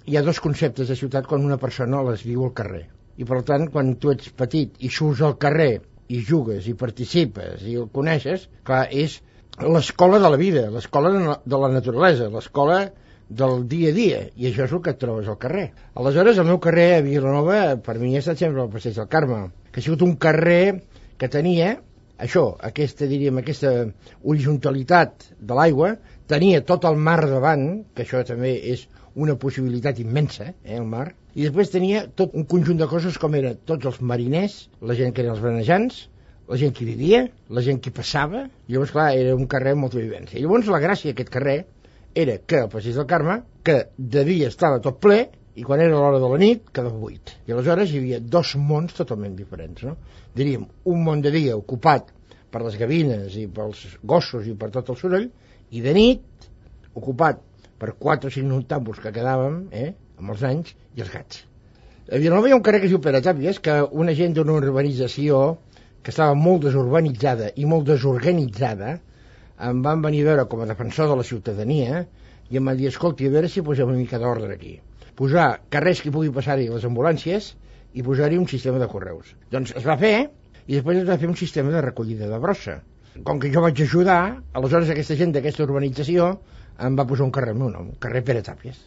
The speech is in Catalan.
hi ha dos conceptes de ciutat quan una persona les viu al carrer. I per tant, quan tu ets petit i surts al carrer i jugues i participes i el coneixes, clar, és l'escola de la vida, l'escola de la naturalesa, l'escola del dia a dia, i això és el que et trobes al carrer. Aleshores, el meu carrer a Vilanova, per mi ha estat sempre el Passeig del Carme, que ha sigut un carrer que tenia això, aquesta horitzontalitat de l'aigua, tenia tot el mar davant, que això també és una possibilitat immensa, el mar, i després tenia tot un conjunt de coses com eren tots els mariners, la gent que eren els brenejants, la gent que hi vivia, la gent que hi passava, i llavors, clar, era un carrer amb molta vivència. I llavors la gràcia d'aquest carrer era que el Passeig del Carme, que de dia estava tot ple, i quan era l'hora de la nit quedava buit. I aleshores hi havia dos mons totalment diferents, no? Diríem, un món de dia ocupat per les gavines i pels gossos i per tot el soroll, i de nit ocupat per 4 o 5 noctàmbuls que quedàvem, amb els anys, i els gats. A Vilanova hi ha un carrer que es diu Pere Tàpies, que una gent d'una urbanització que estava molt desurbanitzada i molt desorganitzada em van venir a veure com a defensor de la ciutadania i em van dir, escolti, a veure si posem una mica d'ordre aquí. Posar carrers que pugui passar-hi les ambulàncies i posar-hi un sistema de correus. Doncs es va fer, i després es va fer un sistema de recollida de brossa. Com que jo vaig ajudar, aleshores aquesta gent d'aquesta urbanització em va posar un carrer al meu nom, carrer Pere Tàpies.